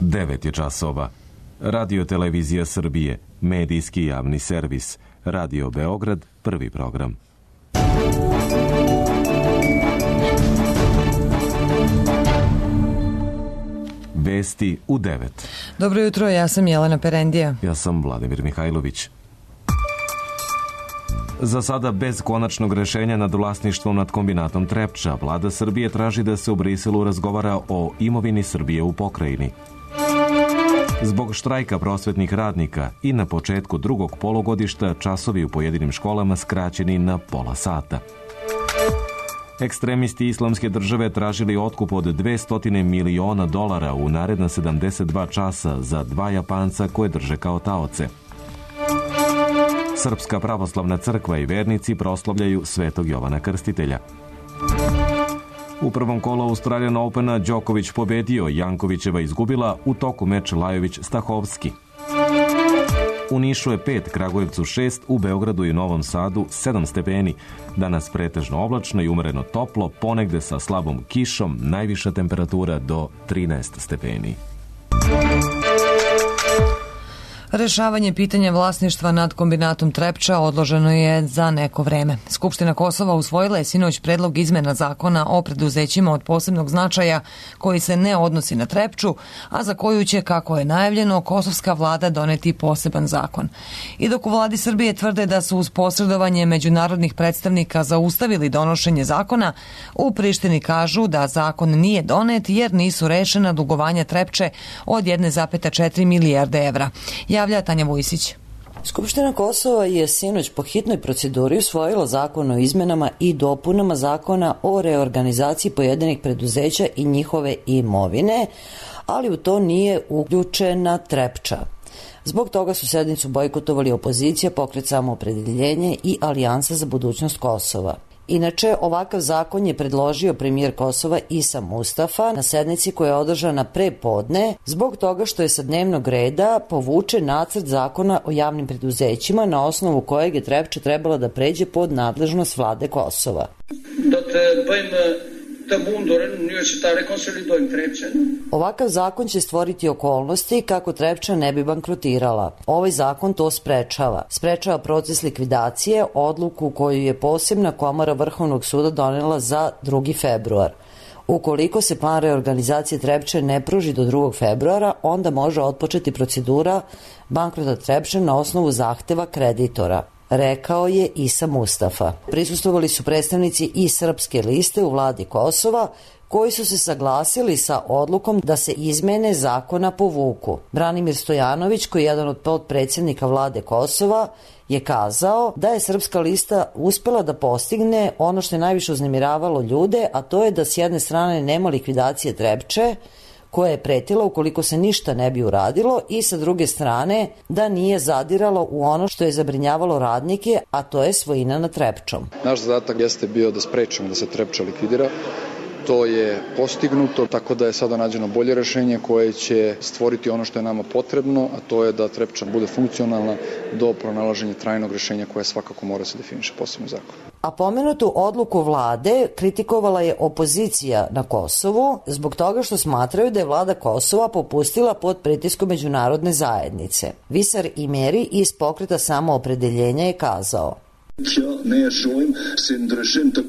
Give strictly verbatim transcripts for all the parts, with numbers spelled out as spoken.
devet je časova. Radio Televizija Srbije, medijski javni servis. Radio Beograd, prvi program. Vesti u devet. Dobro jutro, ja sam Jelena Perendija. Ja sam Vladimir Mihajlović. Za sada bez konačnog rešenja nad vlasništvom nad kombinatom Trepča, vlada Srbije traži da se u Briselu razgovara o imovini Srbije u pokrajini. Zbog štrajka prosvetnih radnika i na početku drugog polugodišta časovi u pojedinim školama skraćeni na pola sata. Ekstremisti Islamske države tražili otkup od dvesta miliona dolara u naredna sedamdeset dva časa za dva Japanca koje drže kao taoce. Srpska pravoslavna crkva i vernici proslavljaju Svetog Jovana Krstitelja. U prvom kolu Australian Opena Đoković pobedio, Jankovićeva izgubila, u toku meč Lajović-Stahovski. U Nišu je pet, Kragujevcu šest, u Beogradu i Novom Sadu sedam stepeni. Danas pretežno oblačno i umereno toplo, ponegde sa slabom kišom, najviša temperatura do trinaest stepeni. Rešavanje pitanja vlasništva nad kombinatom Trepča odloženo je za neko vreme. Skupština Kosova usvojila je sinoć predlog izmena zakona o preduzećima od posebnog značaja koji se ne odnosi na Trepču, a za koju će, kako je najavljeno, kosovska vlada doneti poseban zakon. I dok u vladi Srbije tvrde da su uz posredovanje međunarodnih predstavnika zaustavili donošenje zakona, u Prištini kažu da zakon nije donet jer nisu rešena dugovanja Trepče od jedne zarez četiri milijarde evra. Javlja Tanja Vujsić. Skupština Kosova je sinoć po hitnoj proceduri usvojila zakon o izmenama i dopunama zakona o reorganizaciji pojedinih preduzeća i njihove imovine, ali u to nije uključena Trepča. Zbog toga su sednicu bojkotovali opozicija, Pokret Samoopredeljenje i Alijansa za budućnost Kosova. Inače, ovakav zakon je predložio premijer Kosova Isa Mustafa na sednici koja je održana pre podne zbog toga što je sa dnevnog reda povučen nacrt zakona o javnim preduzećima na osnovu kojeg je Trepča trebala da pređe pod nadležnost vlade Kosova. Ovakav zakon će stvoriti okolnosti kako Trepča ne bi bankrotirala. Ovaj zakon to sprečava. Sprečava proces likvidacije, odluku koju je posebna komora Vrhovnog suda donela za drugi februar. Ukoliko se plan reorganizacije Trepče ne pruži do drugog februara, onda može otpočeti procedura bankrota Trepče na osnovu zahteva kreditora, rekao je Isa Mustafa. Prisustvovali su predstavnici i Srpske liste u vladi Kosova, koji su se saglasili sa odlukom da se izmene zakona povuku. Branimir Stojanović, koji je jedan od potpredsjednika vlade Kosova, je kazao da je Srpska lista uspela da postigne ono što je najviše uznemiravalo ljude, a to je da s jedne strane nema likvidacije Trepče, koja je pretila ukoliko se ništa ne bi uradilo, i sa druge strane da nije zadiralo u ono što je zabrinjavalo radnike, a to je svojina nad Trepčom. Naš zadatak jeste bio da sprečimo da se Trepča likvidira. To je postignuto, tako da je sada nađeno bolje rešenje koje će stvoriti ono što je nama potrebno, a to je da Trepča bude funkcionalna do pronalaženja trajnog rešenja koje svakako mora se definiše posebno zakon. A pomenutu odluku vlade kritikovala je opozicija na Kosovu zbog toga što smatraju da je vlada Kosova popustila pod pritiskom međunarodne zajednice. Visar Imeri iz Pokreta Samoopredeljenja je kazao: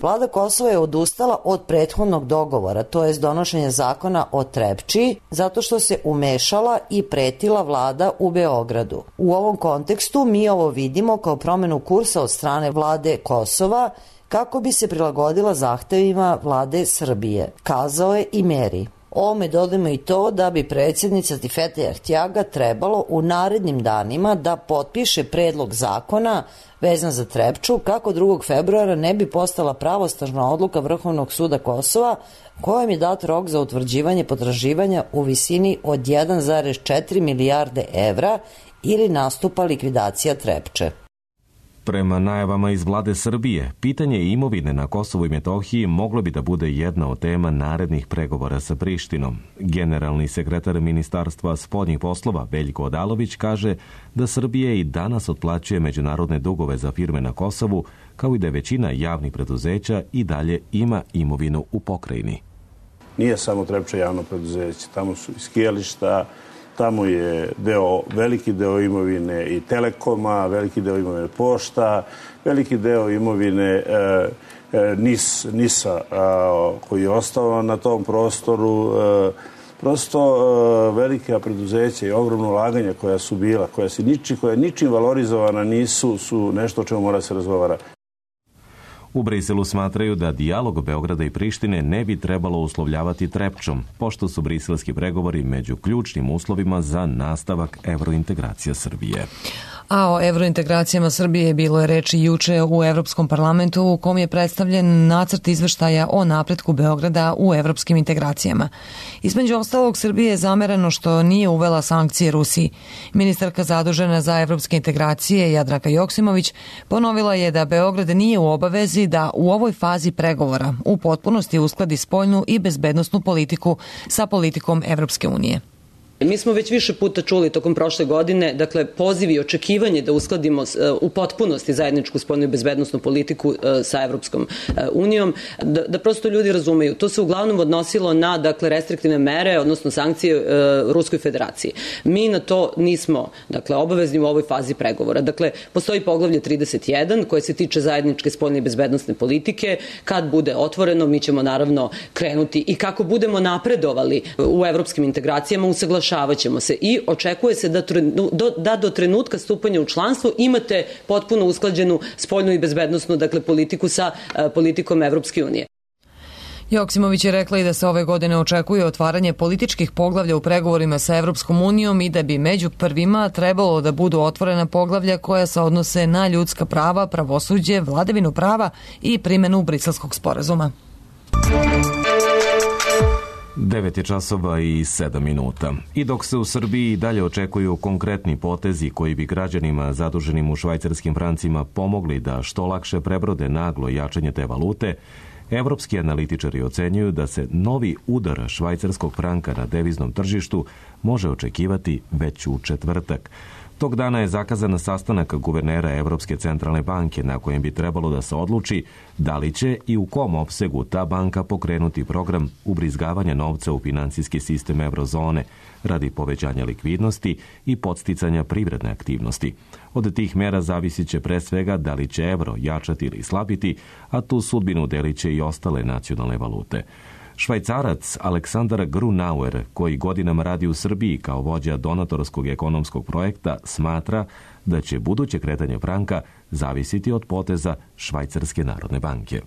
Vlada Kosova je odustala od prethodnog dogovora, to jest donošenja zakona o Trepči, zato što se umešala i pretila vlada u Beogradu. U ovom kontekstu mi ovo vidimo kao promenu kursa od strane vlade Kosova kako bi se prilagodila zahtevima vlade Srbije, kazao je Imeri. Ovome dodajemo i to da bi predsjednica Tifete Ahtjaga trebalo u narednim danima da potpiše predlog zakona vezan za Trepču kako drugog februara ne bi postala pravosnažna odluka Vrhovnog suda Kosova kojem je dat rok za utvrđivanje potraživanja u visini od jedne zarez četiri milijarde evra ili nastupa likvidacija Trepče. Prema najavama iz vlade Srbije, pitanje imovine na Kosovu i Metohiji moglo bi da bude jedna od tema narednih pregovora sa Prištinom. Generalni sekretar Ministarstva spoljnih poslova Veljko Odalović kaže da Srbija i danas otplaćuje međunarodne dugove za firme na Kosovu, kao i da većina javnih preduzeća i dalje ima imovinu u pokrajini. Nije samo Trepča javno preduzeće, tamo su i skijališta, tamo je deo, veliki deo imovine i Telekoma, veliki deo imovine Pošta, veliki deo imovine e, e, NIS, NIS-a a, koji je ostao na tom prostoru. E, prosto e, velika preduzeća i ogromno ulaganja koja su bila, koja se niči, koja ničim valorizovana nisu, su nešto o čemu mora se razgovara. U Briselu smatraju da dijalog Beograda i Prištine ne bi trebalo uslovljavati Trepčom, pošto su briselski pregovori među ključnim uslovima za nastavak evrointegracija Srbije. A o evrointegracijama Srbije bilo je reči juče u Evropskom parlamentu u kom je predstavljen nacrt izveštaja o napretku Beograda u evropskim integracijama. Između ostalog, Srbije je zamereno što nije uvela sankcije Rusiji. Ministarka zadužena za evropske integracije Jadranka Joksimović ponovila je da Beograd nije u obavezi da u ovoj fazi pregovora u potpunosti uskladi spoljnu i bezbednosnu politiku sa politikom Evropske unije. Mi smo već više puta čuli tokom prošle godine, dakle, poziv i očekivanje da uskladimo u potpunosti zajedničku spoljnu i bezbednosnu politiku sa Evropskom unijom, da, da prosto ljudi razumeju. To se uglavnom odnosilo na, dakle, restriktivne mere, odnosno sankcije e, Ruskoj federaciji. Mi na to nismo, dakle, obavezni u ovoj fazi pregovora. Dakle, postoji poglavlje trideset jedan koje se tiče zajedničke spoljne i bezbednosne politike. Kad bude otvoreno, mi ćemo naravno krenuti i kako budemo napredovali u evropskim integracijama, usaglašavati ćemo se i očekuje se da, do, da do trenutka stupanja u članstvo imate potpuno usklađenu spoljnu i bezbednosnu, dakle, politiku sa uh, politikom Evropske unije. Joksimović je rekla i da se ove godine očekuje otvaranje političkih poglavlja u pregovorima sa Evropskom unijom i da bi među prvima trebalo da budu otvorena poglavlja koja se odnose na ljudska prava, pravosuđe, vladavinu prava i primjenu Briselskog sporazuma. devet je časova i sedam minuta. I dok se u Srbiji dalje očekuju konkretni potezi koji bi građanima zaduženim u švajcarskim francima pomogli da što lakše prebrode naglo jačanje te valute, evropski analitičari ocenjuju da se novi udar švajcarskog franka na deviznom tržištu može očekivati već u četvrtak. Tog dana je zakazan sastanak guvernera Evropske centralne banke na kojem bi trebalo da se odluči da li će i u kom opsegu ta banka pokrenuti program ubrizgavanja novca u finansijski sistem eurozone radi povećanja likvidnosti i podsticanja privredne aktivnosti. Od tih mera zavisit će pre svega da li će evro jačati ili slabiti, a tu sudbinu delit će i ostale nacionalne valute. Švajcarac Aleksandar Grunauer, koji godinama radi u Srbiji kao vođa donatorskog ekonomskog projekta, smatra da će buduće kretanje franka zavisiti od poteza Švajcarske narodne banke.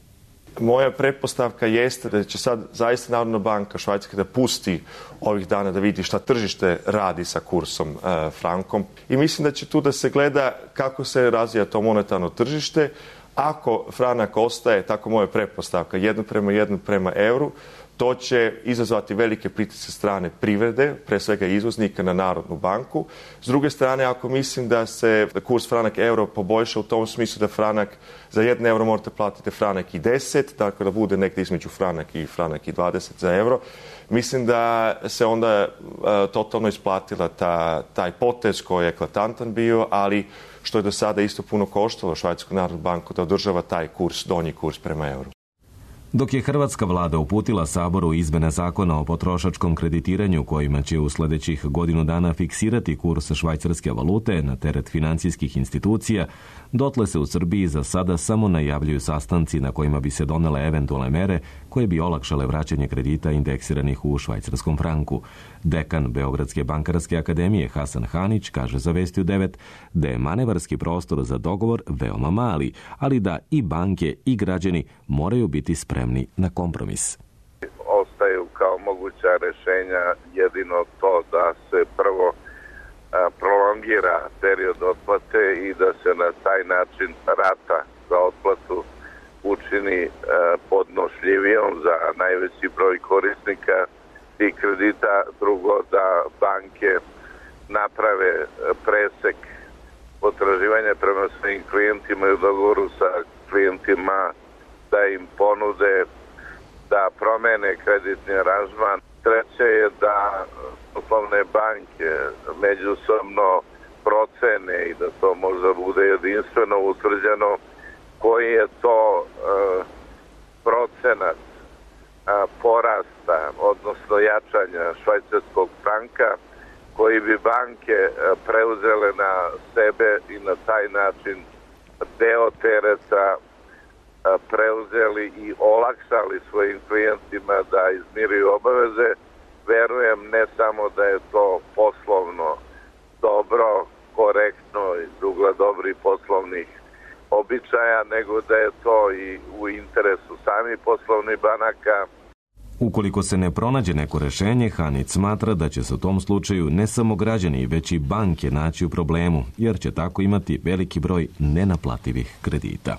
Moja pretpostavka jeste da će sad zaista Narodna banka Švajcarske da pusti ovih dana da vidi šta tržište radi sa kursom e, frankom i mislim da će tu da se gleda kako se razvija to monetarno tržište. Ako franak ostaje, tako moja pretpostavka, jedno prema jedno prema euru, to će izazvati velike pritiske strane privrede, pre svega izvoznika na Narodnu banku. S druge strane, ako mislim da se kurs franak euro poboljša u tom smislu da franak za jedan euro morate platiti franak i deset, tako da bude negdje između franak i franak i dvadeset za euro, mislim da se onda uh, totalno isplatila ta, taj potez koji je eklatantan bio, ali što je do sada isto puno koštalo Švajcarsku narodnu banku da održava taj kurs, donji kurs prema euru. Dok je hrvatska vlada uputila Saboru izmene zakona o potrošačkom kreditiranju kojima će u sledećih godinu dana fiksirati kurs švajcarske valute na teret financijskih institucija, dotle se u Srbiji za sada samo najavljuju sastanci na kojima bi se donele eventualne mere koje bi olakšale vraćanje kredita indeksiranih u švajcarskom franku. Dekan Beogradske bankarske akademije Hasan Hanić kaže za Vesti u devet da je manevarski prostor za dogovor veoma mali, ali da i banke i građani moraju biti spremni na kompromis. Ostaju kao moguća rešenja jedino to da se prvo prolongira period otplate i da se na taj način rata za otplatu učini podnošljivijom za najveći broj korisnika tih kredita. Drugo, da banke naprave presek potraživanja prema svojim klijentima i u dogovoru sa klijentima da im ponude da promene kreditni aranžman. Treće je da poslovne banke međusobno procene i da to možda bude jedinstveno utvrđeno koji je to uh, procenat uh, porasta, odnosno jačanja švajcarskog franka, koji bi banke preuzele na sebe i na taj način deo tereta preuzeli i olakšali svojim klijentima da izmiruju obaveze. Verujem ne samo da je to poslovno dobro, korektno iz ugla dobrih poslovnih običaja, nego da je to i u interesu samih poslovnih banaka. Ukoliko se ne pronađe neko rešenje, Hanić smatra da će se u tom slučaju ne samo građani, već i banke naći u problemu, jer će tako imati veliki broj nenaplativih kredita.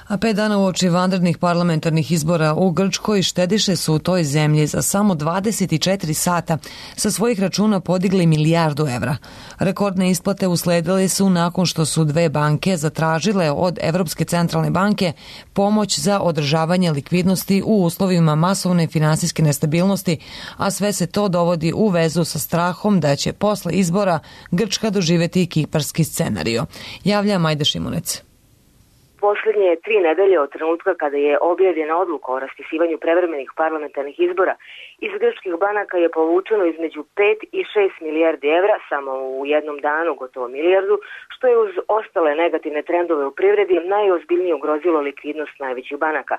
A pet dana uoči vanrednih parlamentarnih izbora u Grčkoj štediše su u toj zemlji za samo dvadeset četiri sata sa svojih računa podigli milijardu evra. Rekordne isplate usledile su nakon što su dve banke zatražile od Evropske centralne banke pomoć za održavanje likvidnosti u uslovima masovne finansijske nestabilnosti, a sve se to dovodi u vezu sa strahom da će posle izbora Grčka doživeti kiparski scenario. Javlja Majda Šimunec. Posljednje tri nedelje od trenutka kada je objavljena odluka o raspisivanju prevremenih parlamentarnih izbora, iz grčkih banaka je povučeno između pet i šest milijardi evra, samo u jednom danu gotovo milijardu, što je uz ostale negativne trendove u privredi najozbiljnije ugrozilo likvidnost najvećih banaka.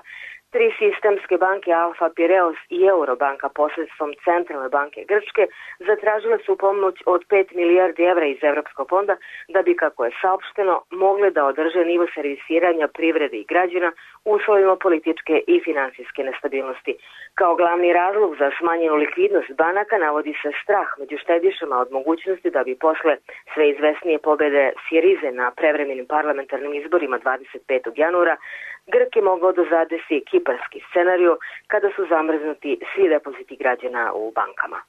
Tri sistemske banke Alfa Pireos i Eurobanka posredstvom Centralne banke Grčke zatražile su pomoć od pet milijardi evra iz Evropskog fonda da bi, kako je saopšteno, mogle da održe nivo servisiranja privrede i građana u uslovima političke i finansijske nestabilnosti. Kao glavni razlog za smanjenu likvidnost banaka navodi se strah među štedišama od mogućnosti da bi posle sve izvesnije pobede Sirize na prevremenim parlamentarnim izborima dvadeset petog januara Grk je mogao da zadesi kiparski scenariju kada su zamrznuti svi depoziti građana u bankama.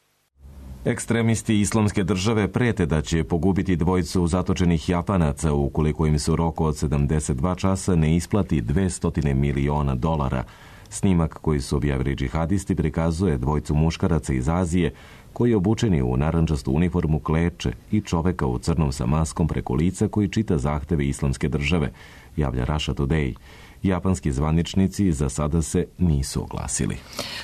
Ekstremisti Islamske države prete da će pogubiti dvojicu zatočenih Japanaca ukoliko im se u roku od sedamdeset dva časa ne isplati dvesta miliona dolara. Snimak koji su objavili džihadisti prikazuje dvojicu muškaraca iz Azije koji obučeni u narandžastu uniformu kleče i čoveka u crnom sa maskom preko lica koji čita zahteve Islamske države, javlja Russia Today. Japanski zvaničnici za sada se nisu oglasili.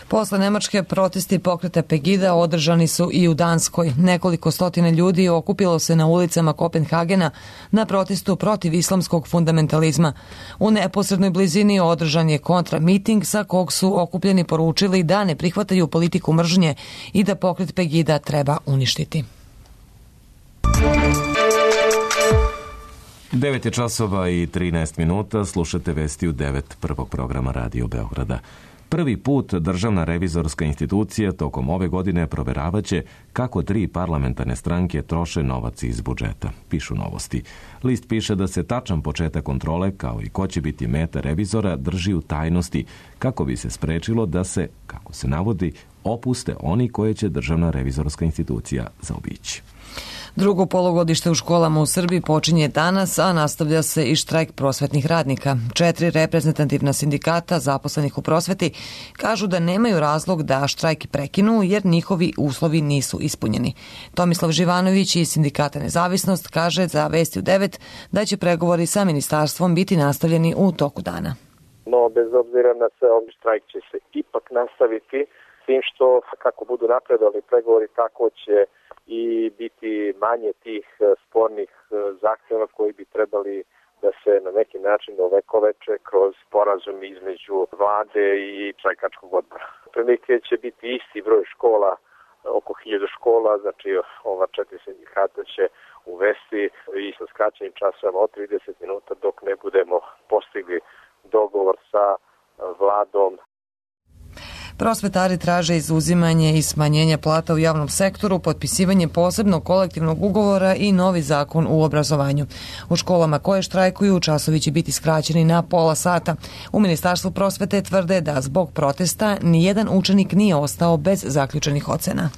Posle Nemačke protesti pokreta Pegida održani su i u Danskoj. Nekoliko stotina ljudi okupilo se na ulicama Kopenhagena na protestu protiv islamskog fundamentalizma. U neposrednoj blizini održan je kontramiting sa kog su okupljeni poručili da ne prihvataju politiku mržnje i da pokret Pegida treba uništiti. devet je časova i trinaest minuta, slušate vesti u devet prvog programa Radio Beograda. Prvi put Državna revizorska institucija tokom ove godine proveravaće kako tri parlamentarne stranke troše novac iz budžeta, pišu Novosti. List piše da se tačan početak kontrole, kao i ko će biti meta revizora, drži u tajnosti, kako bi se sprečilo da se, kako se navodi, opuste oni koje će Državna revizorska institucija zaobići. Drugo polugodište u školama u Srbiji počinje danas, a nastavlja se i štrajk prosvetnih radnika. Četiri reprezentativna sindikata zaposlenih u prosveti kažu da nemaju razlog da štrajk prekinu jer njihovi uslovi nisu ispunjeni. Tomislav Živanović iz sindikata Nezavisnost kaže za Vesti u devet da će pregovori sa ministarstvom biti nastavljeni u toku dana. No, bez obzira na sve, ovaj štrajk će se ipak nastaviti, s tim što kako budu napredovali pregovori, tako će i biti manje tih spornih zahtjeva koji bi trebali da se na neki način ovekoveče kroz sporazum između vlade i štrajkačkog odbora. Prilike će biti isti broj škola, oko hiljadu škola, znači ova četiri sindikata će uvesti i sa skraćenim časovima od trideset minuta dok ne budemo postigli dogovor sa vladom. Prosvetari traže izuzimanje i smanjenje plata u javnom sektoru, potpisivanje posebnog kolektivnog ugovora i novi zakon u obrazovanju. U školama koje štrajkuju časovi će biti skraćeni na pola sata. U Ministarstvu prosvete tvrde da zbog protesta nijedan učenik nije ostao bez zaključenih ocena.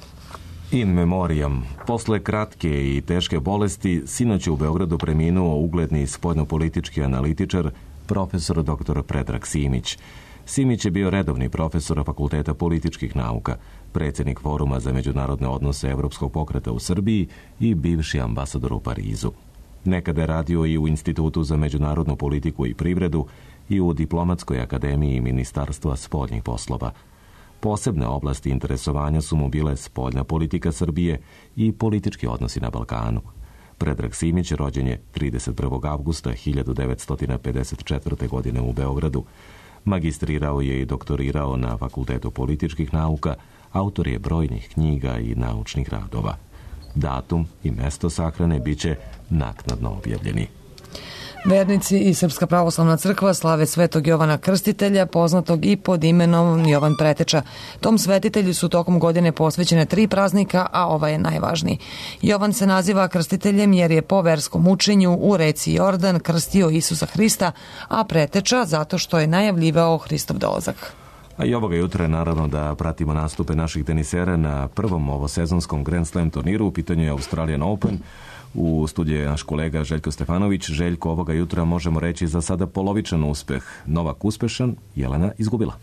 In memoriam. Posle kratke i teške bolesti, sinoć je u Beogradu preminuo ugledni spoljnopolitički analitičar, profesor doktor Predrag Simić. Simić je bio redovni profesor Fakulteta političkih nauka, predsjednik Foruma za međunarodne odnose Evropskog pokreta u Srbiji i bivši ambasador u Parizu. Nekada je radio i u Institutu za međunarodnu politiku i privredu i u Diplomatskoj akademiji Ministarstva spoljnih poslova. Posebne oblasti interesovanja su mu bile spoljna politika Srbije i politički odnosi na Balkanu. Predrag Simić rođen je trideset prvog avgusta hiljadu devetsto pedeset četvrte. godine u Beogradu. Magistrirao je i doktorirao na Fakultetu političkih nauka, autor je brojnih knjiga i naučnih radova. Datum i mesto sahrane biće naknadno objavljeni. Vernici i Srpska pravoslavna crkva slave Svetog Jovana Krstitelja, poznatog i pod imenom Jovan Preteča. Tom svetitelju su tokom godine posvećene tri praznika, a ovaj je najvažniji. Jovan se naziva krstiteljem jer je po verskom učenju u reci Jordan krstio Isusa Hrista, a Preteča zato što je najavljivao Hristov dolazak. A i ovoga jutra je naravno da pratimo nastupe naših tenisera na prvom ovosezonskom Grand Slam turniru. U pitanju je Australian Open. U studiju je naš kolega Željko Stefanović. Željko, ovoga jutra možemo reći za sada polovičan uspeh. Novak uspešan, Jelena izgubila.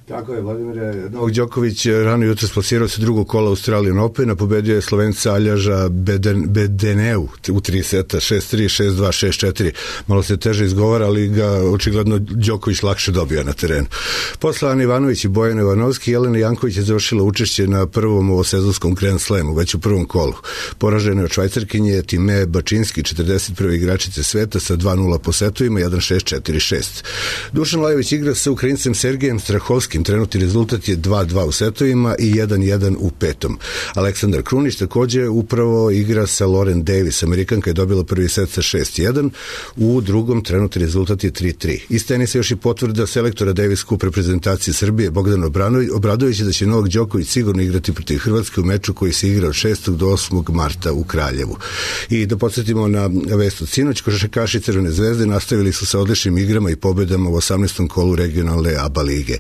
Tako je, Vladimir Novak Đoković rano jutro splasirao se drugog kola Australian Opena, pobedio je Slovenca Aljaža Beden, Bedeneu u tri seta, šest tri, šest dva, šest četiri. Malo se teže izgovara, ali ga očigledno Đoković lakše dobija na terenu. Posle Ana Ivanović i Bojana Ivanovski, Jelena Janković je završila učešće na prvom ovosezonskom Grand Slamu, već u prvom kolu. Poražena je od Švajcarkinje Time Bačinski, četrdeset prve igračice sveta sa dva nula po setovima, jedan šest, četiri šest. Dušan Lajović igra sa Ukrajincem Sergejem Strahovskim. Trenutni rezultat je dva dva u setovima i jedan jedan u petom. Aleksandar Krunić takođe upravo igra sa Lauren Davis. Amerikanka je dobila prvi set sa šest jedan. U drugom trenutni rezultat je tri tri. Iz tenisa još i potvrda selektora Davis Cup reprezentacije Srbije Bogdana Obradovića da će Novak Đoković sigurno igrati protiv Hrvatske u meču koji se igra od šestog do osmog marta u Kraljevu. I da podsjetimo na vest od sinoć, košarkaši Crvene zvezde nastavili su sa odličnim igrama i pobedama u osamnaestom kolu regionalne A B A lige.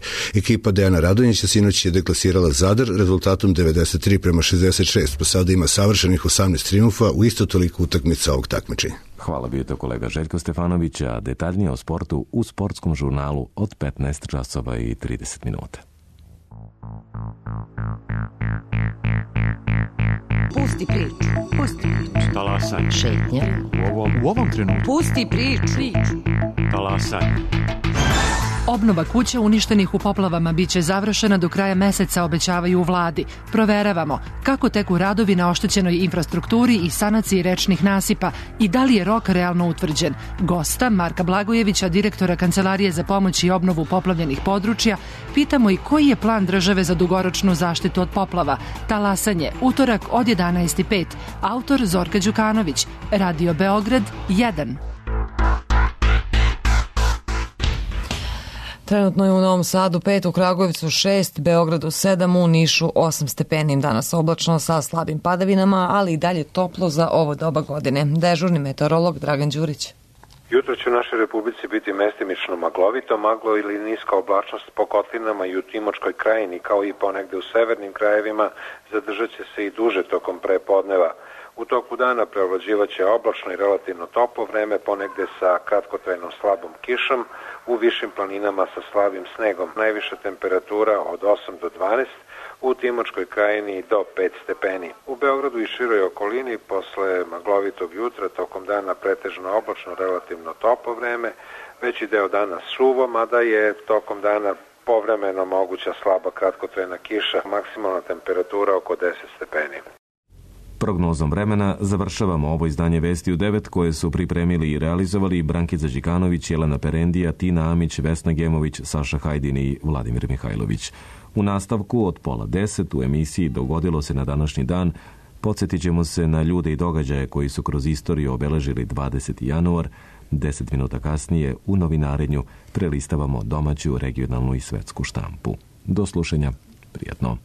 Ekipa Dejana Radonjića sinoć je deklasirala Zadar rezultatom devedeset tri prema šezdeset šest, pa sada ima savršenih osamnaest triumfa u isto toliko utakmica ovog takmičenja. Hvala bio to kolega Željko Stefanović, a detaljnije o sportu u sportskom žurnalu od petnaest časova i trideset minuta. Pusti priču, pusti priču. Talasaj. Šetnja. U ovom, u ovom trenutku. Pusti priču. Talasaj. Obnova kuća uništenih u poplavama biće završena do kraja meseca, obećavaju u vladi. Proveravamo kako teku radovi na oštećenoj infrastrukturi i sanaciji rečnih nasipa i da li je rok realno utvrđen. Gosta Marka Blagojevića, direktora Kancelarije za pomoć i obnovu poplavljenih područja, pitamo i koji je plan države za dugoročnu zaštitu od poplava. Talasanje, utorak od jedanaest i pet. Autor Zorka Đukanović. Radio Beograd jedan. Trenutno je u Novom Sadu pet, u Kragujevcu šest, Beogradu sedam, u Nišu osam stepeni. Danas oblačno sa slabim padavinama, ali i dalje toplo za ovo doba godine. Dežurni meteorolog Dragan Đurić. Jutro će u našoj Republici biti mestimično maglovito, maglo ili niska oblačnost po kotlinama i u Timočkoj krajini, kao i ponegde u severnim krajevima, zadržat će se i duže tokom prepodneva. U toku dana preovlađivaće oblačno i relativno toplo vreme, ponegde sa kratkotrajnom slabom kišom, u višim planinama sa slabim snegom. Najviša temperatura od osam do dvanaest, u Timočkoj krajini do pet stepeni. U Beogradu i široj okolini posle maglovitog jutra tokom dana pretežno oblačno, relativno toplo vreme, veći deo dana suvo, mada je tokom dana povremeno moguća slaba kratkotrajna kiša, maksimalna temperatura oko deset stepeni. Prognozom vremena završavamo ovo izdanje Vesti u devet koje su pripremili i realizovali Brankica Đikanović, Jelena Perendija, Tina Amić, Vesna Gemović, Saša Hajdin i Vladimir Mihajlović. U nastavku od pola deset u emisiji Dogodilo se na današnji dan podsjetit ćemo se na ljude i događaje koji su kroz istoriju obeležili dvadeseti januar. Deset minuta kasnije u novinarenju prelistavamo domaću, regionalnu i svetsku štampu. Do slušanja, prijatno.